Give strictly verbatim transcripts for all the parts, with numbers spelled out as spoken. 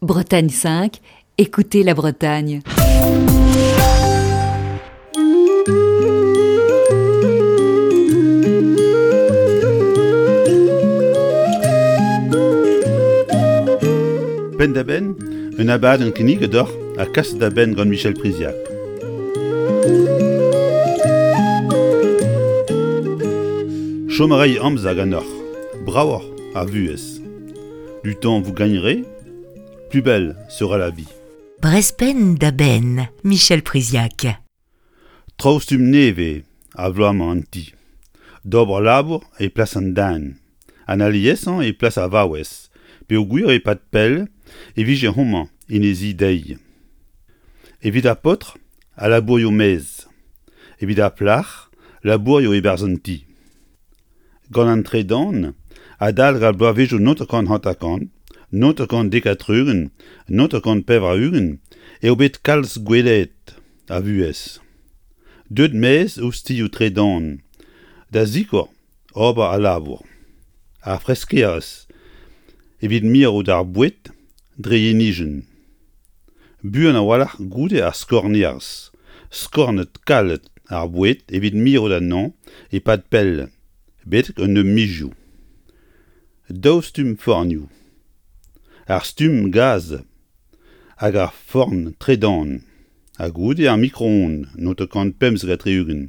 Bretagne cinq, écoutez la Bretagne. Penn-da-benn, un abadenn kinniget deoc'h ha kaset da benn gant Michel Priziac. Chom a ray amzer ganeoc'h, bravoc'h ar vuhez. Du temps vous gagnerez, plus belle sera la vie. Brezh Penn da Benn, Michel Priziac. Traoù stumm nevez a vloaz-mañ en ti. D'ober labour e plas an den. An aliesañ e plas ar vaouez, peogwir e-pad pell e vije homañ en he zi dezhi. Evit ar paotr, al labourioù maez. Evit ar plac'h, labourioù e-barzh an ti. Gant an tredan, adalek ar bloavezhioù naontek hanter-kant, naontek dek ha tri-ugent, naontek pevar-ugent eo bet kalz gwellaet ar vuhez. Deuet maez ostilhoù tredan da sikour ober al labour. Ar freskerezh evit mirout ar boued dre yenijenn. Buan a-walc'h goude ar skornerezh, skornet kalet ar boued evit mirout anezhañ e-pad pell, betek un nebeud mizioù. Daou stumm fornioù. Ar stumm gaz hag ar forn tredan, ha goude ar micro-ondes naontek pemzek ha tri-ugent,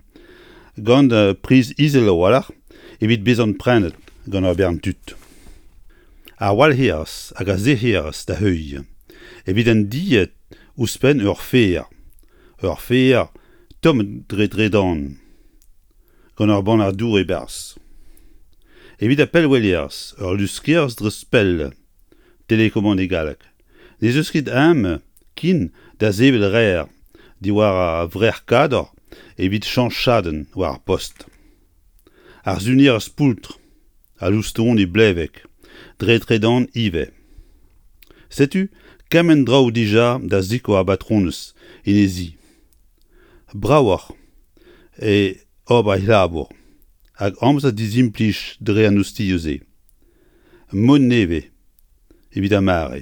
gant priz izel a-walc'h evit bezañ prenet gant ur bern tud. Ar walc'herez hag ar sec'herez da heuilh, evit an dilhad ouzhpenn ur fer, ur fer tommet dre dredan, gant ur bannac'h dour e-barzh. Evit ar pellwelerezh, ur luskerez dre pell, télécommande e galleg. N'ez eus ket ezhomm ken da sevel rer diwar ar vrec'h-kador evit cheñch chadenn war ar post. Ar sunerez poultr, al loustoni blevek, dre tredan ivez. Setu kement draoù dija da sikour ar batronez en he zi. Bravoc'h eo ober he labour, hag amzer dizimplij dre an ostilhoù-se. Mod nevez evit ar mare.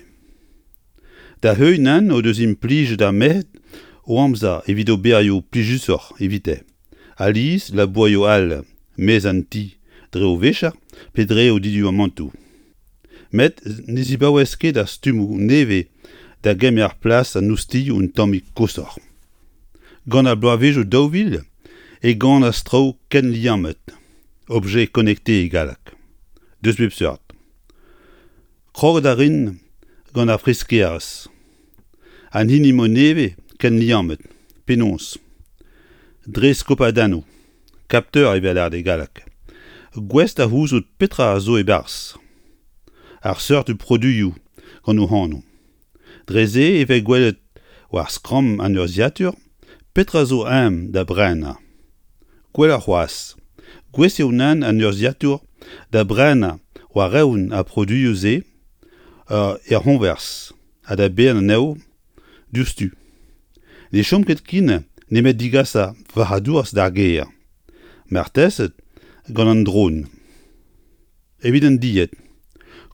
Da heuilh nann o deus implijet ar merc'hed o amzer evit oberioù plijusoc'h evite. Alies labourioù all, maez an ti, dre o vicher pe dre o diduamantoù. Met ne zibaouez ket ar stummoù nevez da gemer plas an ostilhoù un tammig koshoc'h. Gant ar bloavezhioù daou vil e ganas traoù ken liammet, objets connectés e galleg. Deus bep seurt. Kroget a rin gant ar freskerezh. An hini mod nevez ken liammet, penaos. Dre skopadennoù, capteur evel lâret e galleg. Gouest da c'houzout petra a zo e-barzh. Ar seurt produioù gant o anv. Dre se e vez gwelet war skramm an urzhiatur petra zo ezhomm da brenañ. Gwelloc'h c'hoazh, gouest eo nann an urzhiatur da brenañ war-eeun ar produioù-se er c'hoñvers ha da baeañ anezho diouzhtu. Ne chom ket ken nemet degas ar varc'hadourezh d'ar gêr. Marteze gant an dron. Evit an dilhad.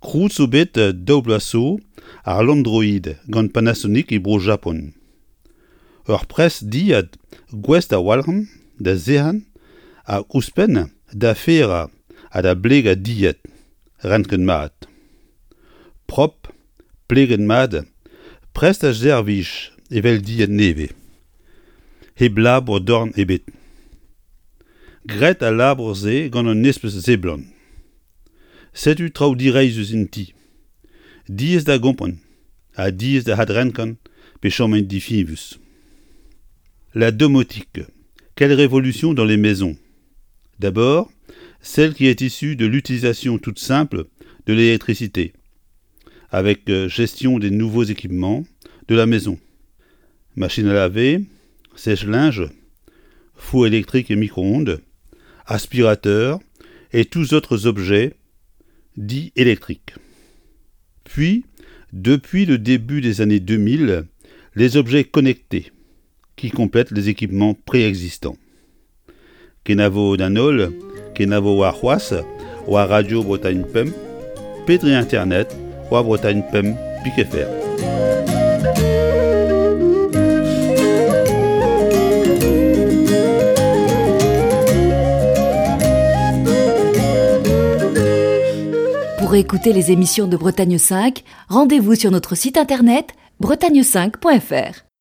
Krouet zo bet daou bloaz zo ar Landroid gant Panasonic e Bro-Japon. Ur pres dilhad gouest a-walc'h da sec'hañ hag ouzhpenn da ferañ ha da blegañ dilhad renket mat. Propr, pleget mat, prest da servij evel dilhad nevez. Hep labour dorn ebet. Graet al labour-se gant un espes seblant. Setu traoù direizhus en ti. Diaes da gompren ha diaes da adrenkañ pe chom difiñvus. La domotique. Quelle révolution dans les maisons. D'abord, celle qui est issue de l'utilisation toute simple de l'électricité, avec gestion des nouveaux équipements de la maison. Machine à laver, sèche-linge, four électrique et micro-ondes, aspirateur et tous autres objets dits électriques. Puis, depuis le début des années deux mille, les objets connectés qui complètent les équipements préexistants. Kenavo d'an holl, kenavo war c'hoazh, war Radio Bretagne Pemp, pe dre Internet, war bretagne pemp pik F R. Pour écouter les émissions de Bretagne cinq, rendez-vous sur notre site internet bretagne cinq point F R.